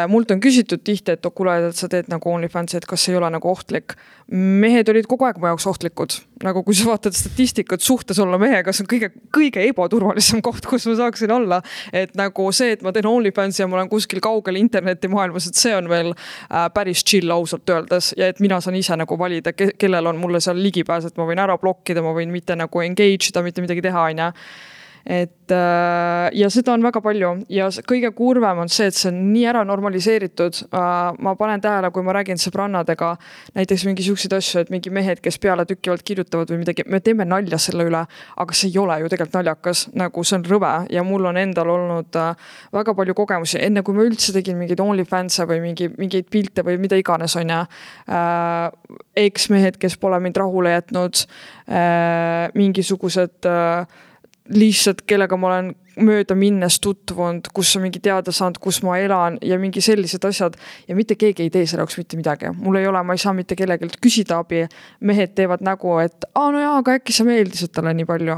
Mult on küsitud tihti, et kuule, et sa teed nagu OnlyFansi, et kas ei ole nagu ohtlik. Mehed olid kogu aeg mu jaoks ohtlikud. Nagu kui sa vaatad statistikat suhtes olla mehega, see on kõige, kõige ebaturvalisem koht, kus ma saaksin olla. Et nagu see, et ma teen OnlyFansi ja ma olen kuskil kaugel interneti maailmas, et see on veel päris chill ausalt öeldes. Ja et mina saan ise nagu valida, kellel on mulle seal ligipääs, et ma võin ära blokkida, ma võin mitte nagu engage ida, mitte midagi teha aina. Et ja seda on väga palju ja kõige kurvem on see, et see on nii ära normaliseeritud. Ma panen tähele, kui ma räägin sõbrannadega näiteks mingi siukseid asju, et mingi mehed, kes peale tükkivalt kirjutavad või midagi, me teeme nalja selle üle, aga see ei ole ju tegelikult naljakas, nagu see on rõve ja mul on endal olnud väga palju kogemusi, enne kui ma üldse tegin mingeid OnlyFanse või mingi, mingeid pilte või mida iganes on ja eks-mehed, kes pole mind rahule jätnud, mingisugused lihtsalt, kellega ma olen mööda minnes tutvunud, kus on mingi teada saanud, kus ma elan ja mingi sellised asjad ja mitte keegi ei tee selle jaoks mitte midagi. Mul ei ole, ma ei saa mitte kellelgi küsida abi. Mehed teevad nägu, et aa, no jaa, aga äkki sa meeldisid talle nii palju.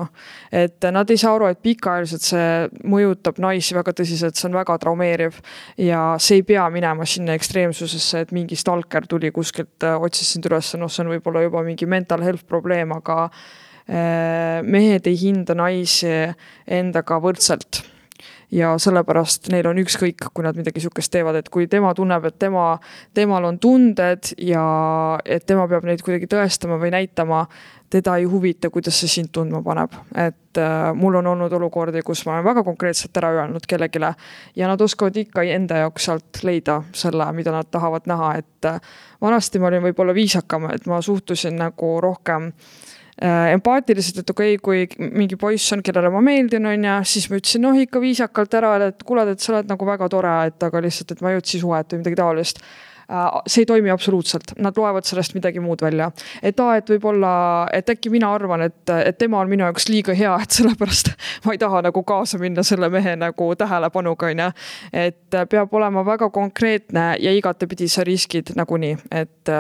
Et nad ei saa aru, et pikaajaliselt see mõjutab naisi väga tõsiselt, see on väga traumeeriv ja see ei pea minema sinna ekstreemsusesse, et mingi stalker tuli kuskilt, otsis sind üles, no see on võib-olla juba mingi mental health probleem, aga mehed ei hinda naisi endaga võrdselt ja sellepärast neil on ükskõik, kui nad midagi sukest teevad, et kui tema tunneb, et tema, temal on tunded ja et tema peab neid kuidagi tõestama või näitama, teda ei huvita, kuidas see sind tundma paneb. Et äh, mul on olnud olukordi, kus ma olen väga konkreetselt ära öelnud kellegile ja nad oskavad ikka enda jaoks sealt leida selle, mida nad tahavad näha, et äh, vanasti ma olin võib-olla viisakam, et ma suhtusin nagu rohkem empaatiliselt, et okei, kui mingi poiss on, kellele ma meeldin on ja siis ma ütlesin, noh ikka viisakalt ära, et kuule, et sa oled nagu väga tore, et aga lihtsalt, et ma ei otsi suhet või midagi taolist. See ei toimi absoluutselt, nad loevad sellest midagi muud välja. Et aa, et võib-olla, et äkki mina arvan, et, et tema on minu jaoks liiga hea, et sellepärast ma ei taha nagu kaasa minna selle mehe nagu tähelepanuga, et peab olema väga konkreetne ja igatepidi sa riskid nagunii, et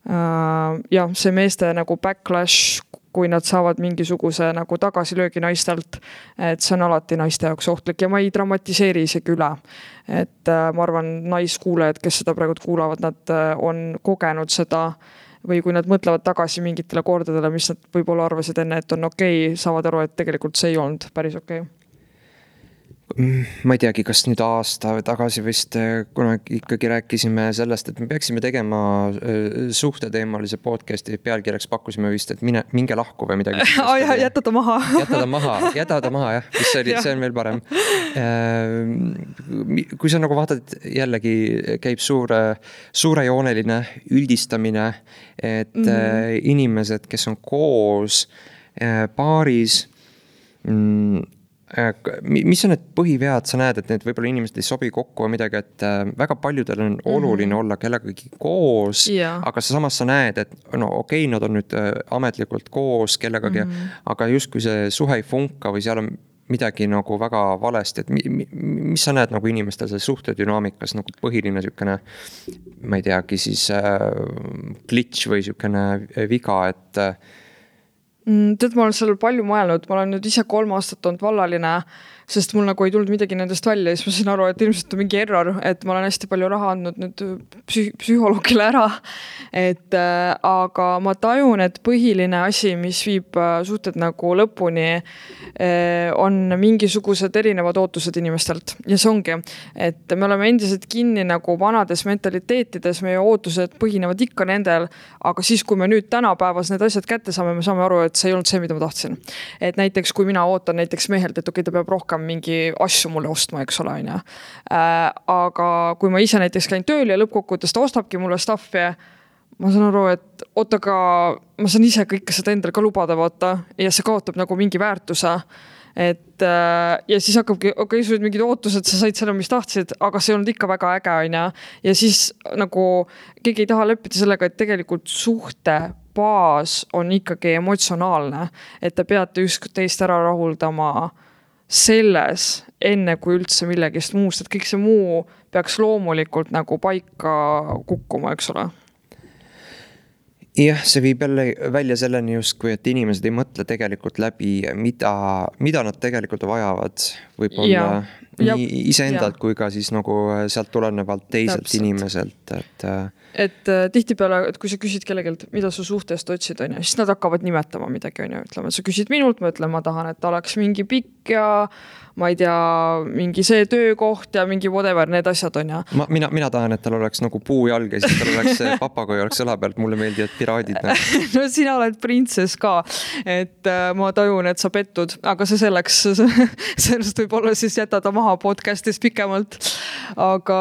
Uh, ja see meeste nagu backlash, kui nad saavad mingisuguse nagu tagasilöögi naistelt, et see on alati naiste jaoks ohtlik ja ma ei dramatiseeri isegi üle. Et uh, ma arvan, naiskuulajad, kes seda praegu kuulavad, nad on kogenud seda või kui nad mõtlevad tagasi mingitele kordadele, mis nad võib-olla arvasid enne, et on okei, saavad aru, et tegelikult see ei olnud päris okei. Ma ei teagi, kas nüüd aasta tagasi vist kunagi ikkagi rääkisime sellest, et me peaksime tegema suhteteemalise podcasti pealkirjaks pakkusime vist, et mine, minge lahku või midagi. Oh, jah, jäta ta maha. Jäta ta maha, jäta ta maha, jah. See, oli, see on veel parem. Kui sa nagu vaatad, jällegi käib suure, suurejooneline üldistamine, et mm-hmm. inimesed, kes on koos paaris, mis on need põhivead, sa näed, et need võib-olla inimesed ei sobi kokku või midagi, et väga paljudel on oluline mm-hmm. olla kellegagi koos, yeah. aga samas sa näed, et no okei, nad on nüüd ametlikult koos kellegagi, mm-hmm. aga just kui see suhe ei funka või seal on midagi nagu väga valesti, et mi, mis sa näed nagu inimestel see suhtedünaamikas nagu põhiline sükene, ma ei teagi, siis äh, glitch või sükene viga, et Tead, ma olen seal palju mõelnud, ma olen nüüd ise kolm aastat olnud vallaline, sest mul nagu ei tulnud midagi nendest välja, siis ma sain aru, et ilmselt on mingi error, et ma olen hästi palju raha andnud nüüd psüh- psühholoogile ära, et äh, aga ma tajun, et põhiline asi, mis viib äh, suhted nagu lõpuni, äh, on mingisugused erinevad ootused inimestelt ja see ongi, et me oleme endiselt kinni nagu vanades mentaliteetides, meie ootused põhinevad ikka nendel, aga siis, kui me nüüd tänapäevas need asjad kätte saame, me saame aru, et see ei olnud see, mida ma tahtsin. Et näiteks, kui mina ootan näiteks mehelt, et okei, ta peab rohkem mingi asju mulle ostma, eks ole, on ja. Äh, aga kui ma ise näiteks käin tööl ja lõppkokkuvõttes ta ostabki mulle staffi, ma saan aru, et oota ka, ma saan ise kõike seda endal ka lubada vaata ja see kaotab nagu mingi väärtuse. et ja siis hakkabki, okei okay,, sul olid mingid ootused, sa said selle, mis tahtsid, aga see on olnud ikka väga äge, on ja. ja siis nagu keegi ei taha leppida sellega, et tegelikult suhte baas on ikkagi emotsionaalne, et te peate ükskord teist ära rahuldama selles, enne kui üldse millegist muust, et kõik see muu peaks loomulikult nagu paika kukkuma, eks ole. Jah, see viib jälle välja selleni justkui, et inimesed ei mõtle tegelikult läbi, mida, mida nad tegelikult vajavad. Võib-olla nii iseendalt kui ka siis nagu sealt tulenevalt teiselt Täpselt. Inimeselt, et et äh, tihtipeale, et kui sa küsid kellegelt, mida su suhtest otsid, on ja, siis nad hakkavad nimetama midagi, on ja, ütleme, et sa küsid minult, ma ütlen, ma tahan, et ta oleks mingi pikk ja ma ei tea, mingi see töökoht ja mingi whatever, need asjad on ja. Ma, mina, mina tahan, et tal oleks nagu puujalg ja siis tal oleks papagoi oleks õla pealt, mulle meeldivad piraadid. No sina oled printsess ka, et äh, ma tajun, et sa pettud, aga see selleks, sellest võib olla siis jätada maha podcastis pikemalt, aga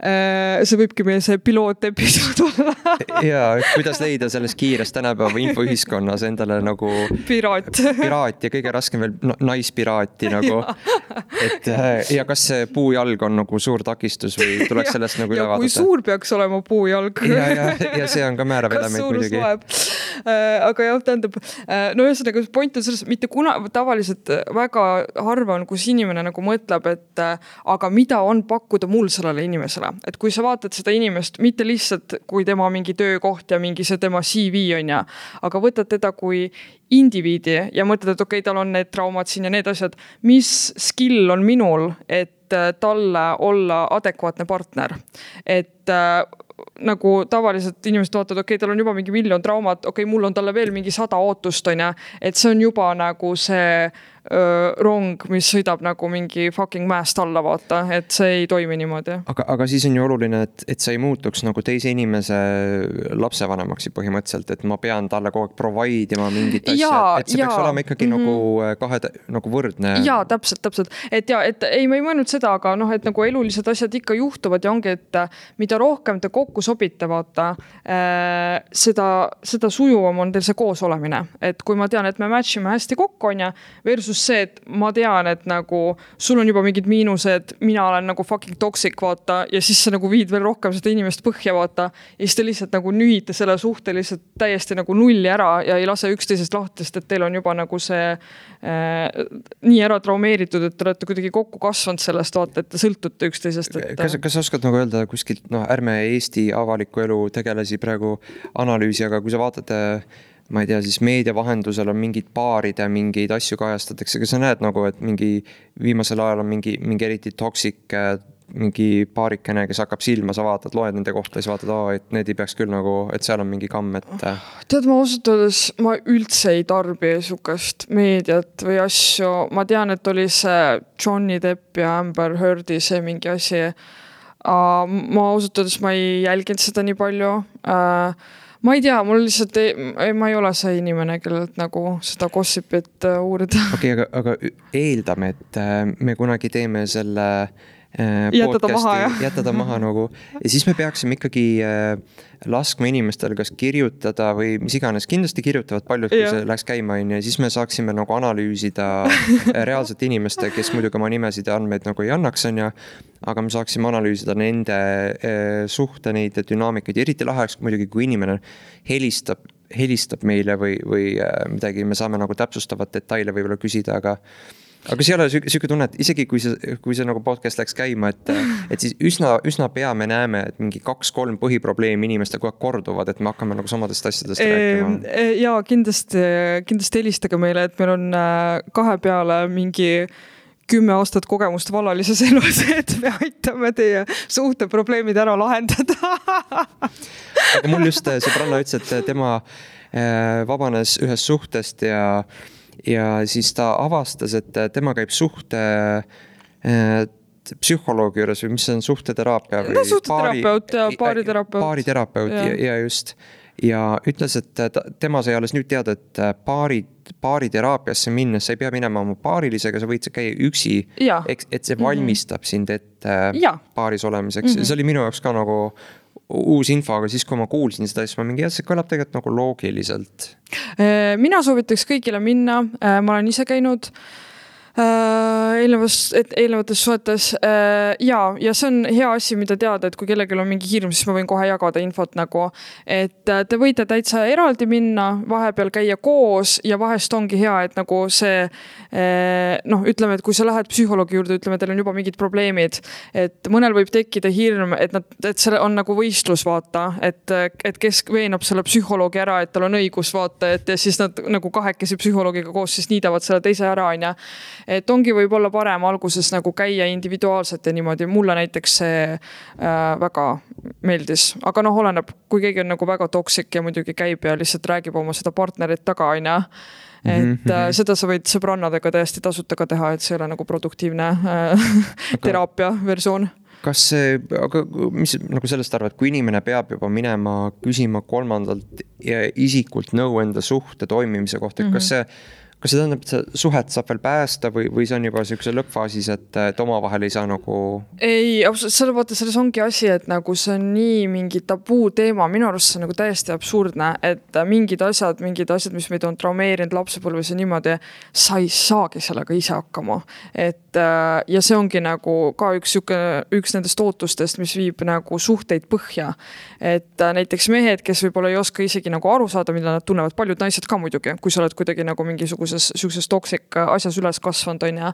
äh, see võibki meie see pilootepisood olla. Ja, kuidas leida selles kiires tänapäeva infoühiskonnas endale nagu piraat, piraat ja kõige raskem veel naispiraati nagu. Et, ja kas see puujalg on nagu suur takistus või tuleks ja, sellest nagu üle vaadata? Kui suur peaks olema puujalg? Ja, ja, ja see on ka määrav element muidugi. Äh, aga jah, tähendab, no ühesõnaga point on selles, mitte kuna tavaliselt väga harva on, kus inimene nagu mõtleb, et aga mida on pakkuda mul sellele inimesele. Et kui sa vaatad seda inimest, mitte lihtsalt kui tema mingi töökoht ja mingi see tema C V on ja, aga võtad teda kui indiviidi ja mõtled, et okei, okay, tal on need traumad siin ja need asjad, mis skill on minul, et talle olla adekvaatne partner. Et äh, nagu tavaliselt inimesed vaatavad, okei, okay, tal on juba mingi miljon traumat, okei, okay, mul on talle veel mingi sada ootust, on ja, et see on juba nagu see rong, mis sõidab nagu mingi fucking mäest alla vaata, et see ei toimi niimoodi. Aga, aga siis on ju oluline, et, et sa ei muutuks nagu teise inimese lapsevanemaksi põhimõtteliselt, et ma pean talle kogu aeg provide ima mingit asja, et see ja. Peaks olema ikkagi mm -hmm. nagu, kahe, nagu võrdne. Jaa, täpselt, täpselt. Et ja, et ei, ma ei mõelnud seda, aga noh, et nagu elulised asjad ikka juhtuvad ja ongi, et mida rohkem te kokku sobite, vaata, äh, seda, seda sujuvam on teil see koos olemine. Et kui ma tean, et me matchime hästi kokku on ja versus see, et ma tean, et nagu sul on juba mingid miinused, mina olen nagu fucking toxic, vaata, ja siis sa nagu viid veel rohkem seda inimest põhja, vaata, ja siis te lihtsalt nagu nühite selle suhte lihtsalt täiesti nagu nulli ära ja ei lase üksteisest lahtist, et teil on juba nagu see äh, nii ära traumeeritud, et te olete kuidagi kokku kasvanud sellest, vaata, et te sõltute üksteisest. Et... Kas, kas oskad nagu öelda kuskilt, noh, ärme Eesti avaliku elu tegelesi praegu analüüsi, aga kui sa vaatate ma ei tea, siis meedia vahendusel on mingid paaride, mingeid asju kajastatakse, aga sa näed nagu, et mingi viimasel ajal on mingi, mingi eriti toksik, mingi paarikene, kes hakkab silma, sa vaatad, loed nende kohta ja sa vaatad, aa, et need ei peaks küll nagu, et seal on mingi kamm, et... Tead, ma osutades, ma üldse ei tarbi sukast meediat või asju. Ma tean, et oli see Johnny Depp ja Amber Heardi see mingi asi. Ma osutades, ma ei jälginud seda nii palju. Ma ei tea, mul lihtsalt ei, ma ei ole see inimene, kellelt nagu seda gossipit uurida. Okei, okay, aga, aga eeldame, et me kunagi teeme selle jätada maha, jätada maha nagu. Ja siis me peaksime ikkagi laskma inimestel kas kirjutada või mis iganes. Kindlasti kirjutavad paljud, kui see läks käima ja siis me saaksime nagu analüüsida reaalselt inimeste, kes muidugi oma nimesid ja andmeid nagu ei annaks on ja, aga me saaksime analüüsida nende suhte, neid dünaamikaid. Eriti laheks muidugi, kui inimene helistab, helistab meile või, või midagi, me saame nagu täpsustavat detaile võib-olla küsida, aga Aga see ei ole süke tunne, et isegi kui see, kui see nagu podcast läks käima, et, et siis üsna, üsna pea me näeme, et mingi kaks-kolm põhiprobleemi inimeste kogu aeg korduvad, et me hakkame nagu samadest asjadest e, rääkima. Jaa, kindlasti, kindlasti helistage meile, et meil on kahe peale mingi kümme aastat kogemust vallalises elus, et me aitame teie suhteprobleemid ära lahendada. Aga mul just sõbranna ütles, et tema vabanes ühest suhtest ja Ja siis ta avastas, et tema käib suhte psühholoogi juures või mis on suhteteraapia või no, suhteterapeut ja baariterapeut. Baariterapeut ja, ja just. Ja ütles, et tema sai alles nüüd teada, et baari, baariteraapiasse minnes sa ei pea minema oma baarilisega, sa võid käia üksi, et see valmistab mm-hmm. sind ette ja. Baaris olemiseks. Mm-hmm. See oli minu jaoks ka nagu uus info, aga siis kui ma kuulsin seda, siis ma mingi, see kõlab tegelikult nagu loogiliselt. Mina soovitaks kõigile minna, ma olen ise käinud eelnevas, et eelnevates suhetes ja, ja see on hea asi, mida teada, et kui kellelgi on mingi hirm, siis ma võin kohe jagada infot nagu, et te võite täitsa eraldi minna, vahepeal käia koos ja vahest ongi hea, et nagu see, noh, ütleme, et kui sa lähed psühholoogi juurde, ütleme, teil on juba mingid probleemid, et mõnel võib tekkida hirm, et, nad, et see on nagu võistlus, vaata, et, et kes veenab selle psühholoogi ära, et tal on õigus, vaata, et ja siis nad nagu kahekesi psühholoogiga koos siis niidavad selle teise ära, on ja. Et ongi võib olla parem alguses nagu käia individuaalselt ja niimoodi. Mulle näiteks see äh, väga meeldis. Aga noh, oleneb, kui keegi on nagu väga toksik ja muidugi käib ja lihtsalt räägib oma seda partnerit taga, on ja. Et mm-hmm. äh, seda sa võid sõbrannadega täiesti tasuta ka teha, et see ei ole nagu produktiivne äh, teraapia versioon. Kas see, aga mis nagu sellest arvad, kui inimene peab juba minema küsima kolmandalt isikult nõu enda suhte toimimise kohta, mm-hmm. kas see Kas see tähendab, et see suhet saab veel päästa või, või see on juba sellise lõppfaasis, et, et omavahel ei saa nagu... Ei, selle vaata, selles ongi asi, et nagu see on nii mingi tabuu teema, minu arust see on nagu täiesti absurdne, et mingid asjad, mingid asjad, mis meid on traumeerinud lapsepõlves ja niimoodi, sa ei saagi sellega ise hakkama. Et, ja see ongi nagu ka üks, üks nendest ootustest, mis viib nagu suhteid põhja. Et näiteks mehed, kes võib-olla ei oska isegi nagu aru saada, mida nad tunnevad, paljud naised ka muidugi, kui sa oled kuidagi nagu mingisuguse sellises toksik asjas üles kasvanud on ja,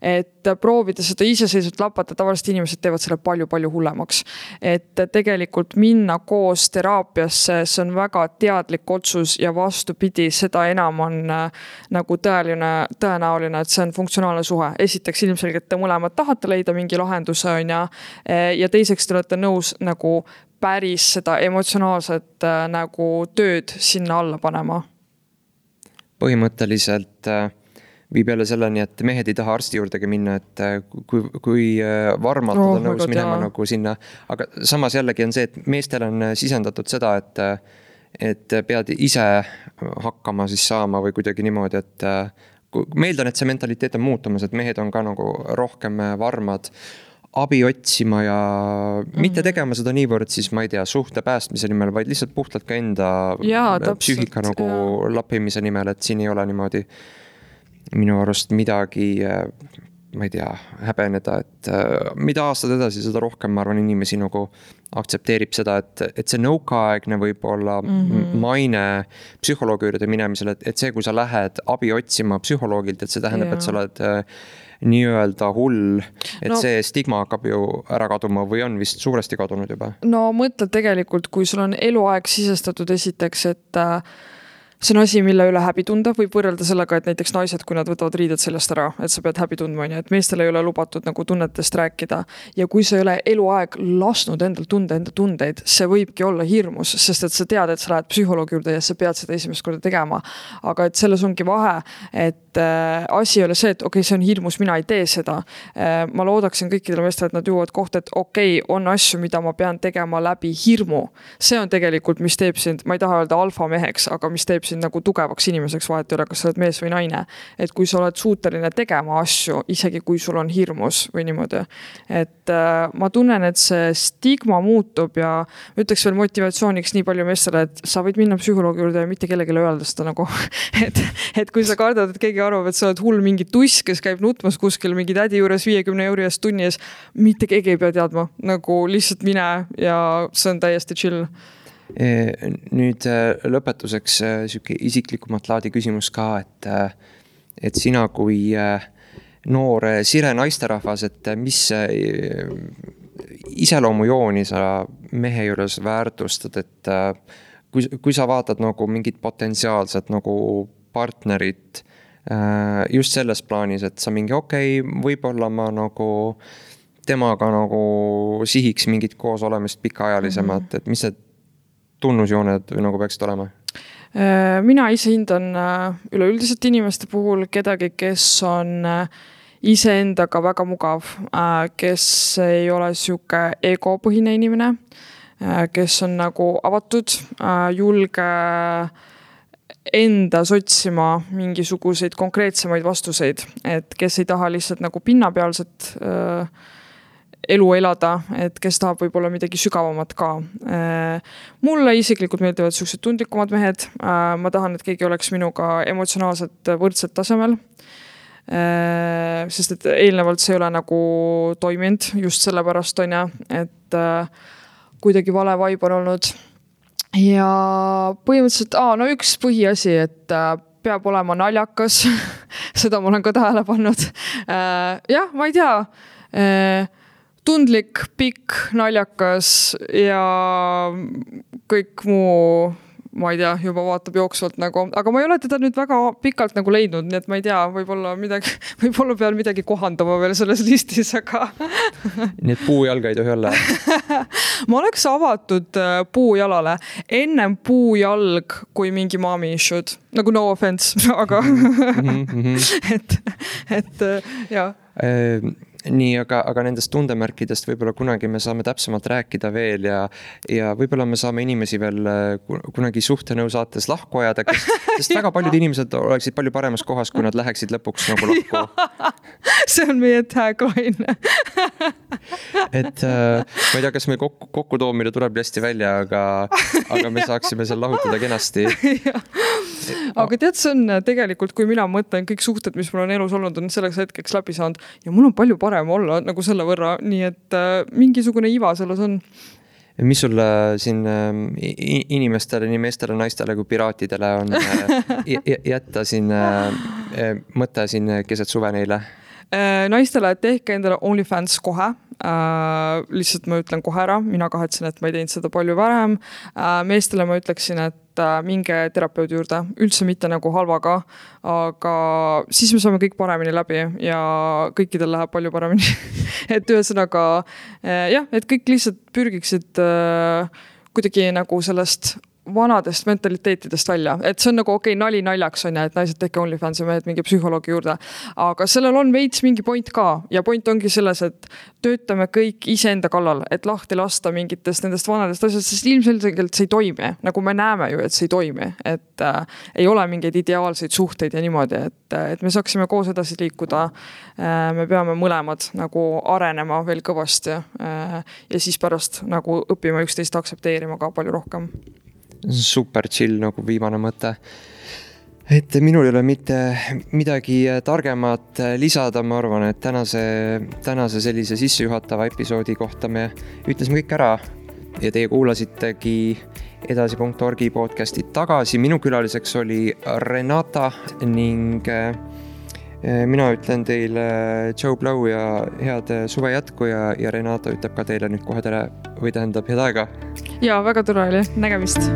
et proovida seda iseseisvalt lapata, tavaliselt inimesed teevad selle palju-palju hullemaks. Et tegelikult minna koos teraapiasse, see on väga teadlik otsus ja vastupidi, seda enam on nagu tõeline, tõenäoline, et see on funktsionaalne suhe. Esiteks ilmselgelt te mõlemad tahate leida mingi lahenduse on ja, ja teiseks te olete nõus nagu päris seda emotsionaalset nagu tööd sinna alla panema. Põhimõtteliselt viib jälle selleni, et mehed ei taha arsti juurdegi minna, et kui, kui varmalt oh, on nõus minema tea. Nagu sinna. Aga samas jällegi on see, et meestel on sisendatud seda, et, et pead ise hakkama siis saama või kuidagi niimoodi, et meeldan, et see mentaliteet on muutumas, et mehed on ka nagu rohkem varmad abi otsima ja mm-hmm. mitte tegema seda niivõrd siis, ma ei tea, suhte päästmise nimel, vaid lihtsalt puhtalt ka enda ja, täpselt, psüühika nagu ja. Lappimise nimel, et siin ei ole niimoodi minu arust midagi, ma ei tea, häbeneda, et mida aastad edasi, seda rohkem, ma arvan, inimesi nagu aktsepteerib seda, et, et see nõukaaegne võib olla mm-hmm. maine psühholoogi juurde minemisel, et, et see, kui sa lähed abi otsima psühholoogilt, et see tähendab, ja. Et sa oled nii-öelda hull, et no, see stigma hakkab ju ära kaduma või on vist suuresti kadunud juba? No mõtle tegelikult, kui sul on eluaeg sisestatud esiteks, et see on asi, mille üle häbi tunda, võib võrrelda sellega, et näiteks naised, kui nad võtavad riided sellest ära, et sa pead häbi tundma, et meestel ei ole lubatud nagu tunnetest rääkida. Ja kui sa ei ole eluaeg lasknud endal tunda enda tundeid, see võibki olla hirmus, sest et sa tead, et sa lähed psühholoogi juurde ja sa pead seda esimest korda tegema. Aga et selles ongi vahe, et äh, asi ei ole see, et okei, okay, see on hirmus, mina ei tee seda. Äh, ma loodaksin kõikidele meestele, et nad juuvad kohta, et okei, okay, on asju, mida ma pean tegema läbi hirmu. See on tegelikult, mis teeb sind, ma ei taha öelda alfa meheks, aga mis teeb sind nagu tugevaks inimeseks, vahet ei ole, kas sa oled mees või naine. Et kui sa oled suuteline tegema asju, isegi kui sul on hirmus või niimoodi. Et äh, ma tunnen, et see stigma muutub ja ütleks veel motivatsiooniks nii palju meestele, et sa võid minna psühholoogi juurde ja mitte kellegile öelda seda nagu. et, et kui sa kardad, et keegi arvab, et sa oled hull mingi tuss, kes käib nutmas kuskil mingi tädi juures viiekümne euri eest tunni ees, mitte keegi ei pea teadma. Nagu lihtsalt mine ja see on täiesti chill. Nüüd lõpetuseks siuke isiklikumat laadi küsimus ka, et, et sina kui noor sire naisterahvas, et mis iseloomujooni sa mehe juures väärtustad, et kui, kui sa vaatad nagu mingit potentsiaalset nagu partnerit just selles plaanis, et sa mingi okei, okay, võib-olla ma nagu temaga nagu sihiks mingit koos olemist pikaajalisemat, mm-hmm. et mis see tunnusjooned nagu peaksid olema? Mina ise hindan üleüldiselt inimeste puhul kedagi, kes on iseendaga väga mugav, kes ei ole siuke egopõhine inimene, kes on nagu avatud, julge enda sotsima mingisuguseid konkreetsemaid vastuseid, et kes ei taha lihtsalt nagu pinnapealset elu elada, et kes tahab võib-olla midagi sügavamat ka. Mulle isiklikult meeldivad sellised tundlikumad mehed. Ma tahan, et keegi oleks minuga emotsionaalselt võrdselt tasemel. sest et eelnevalt see ei ole nagu toiminud just sellepärast on ja, et kuidagi vale vibe on olnud. Ja põhimõtteliselt, aa, no üks põhiasi, et peab olema naljakas, seda ma olen ka tähele pannud. Jah, ma ei tea, tundlik, pikk, naljakas ja kõik muu, ma ei tea, juba vaatab jooksvalt nagu, aga ma ei ole teda nüüd väga pikalt nagu leidnud, nii et ma ei tea, võib-olla midagi, võib-olla peal midagi kohandama veel selles listis, aga... Nii et puujalga ei tohi olla? Ma oleks avatud puujalale ennem puujalg kui mingi mommy issued, nagu no offense, aga et, et jah. Nii, aga, aga nendest tundemärkidest võib-olla kunagi me saame täpsemalt rääkida veel ja, ja võib-olla me saame inimesi veel kunagi suhtenõu saates lahku ajada, kes, sest väga paljud inimesed oleksid palju paremas kohas, kui nad läheksid lõpuks nagu lahku. See on meie tagline. Et ma ei tea, kas meil kokku, kokkutoomine tuleb hästi välja, aga, aga me saaksime seal lahutada kenasti. Aga tead, see on tegelikult, kui mina mõtlen kõik suhted, mis mul on elus olnud, on selleks hetkeks läbi saanud ja mul on palju parem olla nagu selle võrra, nii et äh, mingisugune iva selles on. Mis sul siin äh, inimestele, nii meestele, naistele kui piraatidele on äh, jätta siin äh, mõte siin keset suve neile? Äh, naistele tehke endale OnlyFans kohe. Äh, lihtsalt ma ütlen kohe ära, mina kahetsen, et ma ei teinud seda palju varem. Äh, meestele ma ütleksin, et äh, minge terapeudi juurde, üldse mitte nagu halvaga, aga siis me saame kõik paremini läbi ja kõikidel läheb palju paremini. Et ühesõnaga, äh, jah, et kõik lihtsalt pürgiksid äh, kuidagi nagu sellest vanadest mentaliteetidest välja, et see on nagu okei, okay, nali naljaks on ja, et naised tehke OnlyFans ja mehed mingi psühholoogi juurde, aga sellel on veits mingi point ka ja point ongi selles, et töötame kõik iseenda kallal, et lahti lasta mingitest nendest vanadest asjast, sest ilmselgelt see ei toimi, nagu me näeme ju, et see ei toimi, et äh, ei ole mingeid ideaalseid suhteid ja niimoodi, et, et me saaksime koos edasi liikuda, äh, me peame mõlemad nagu arenema veel kõvasti äh, ja siis pärast nagu õppima üksteist aktsepteerima ka palju rohkem. Super chill nagu viimane mõte. Et minul ei ole mitte midagi targemat lisada, ma arvan, et tänase, tänase sellise sissejuhatava episoodi kohta me ütlesime kõik ära ja teie kuulasitegi edasi punkt org podcasti tagasi. Minu külaliseks oli Renata ning mina ütlen teile Joe Blow ja head suve jätku ja, ja Renata ütleb ka teile nüüd kohe tere või tähendab head aega. Ja, väga tore oli. Nägemist.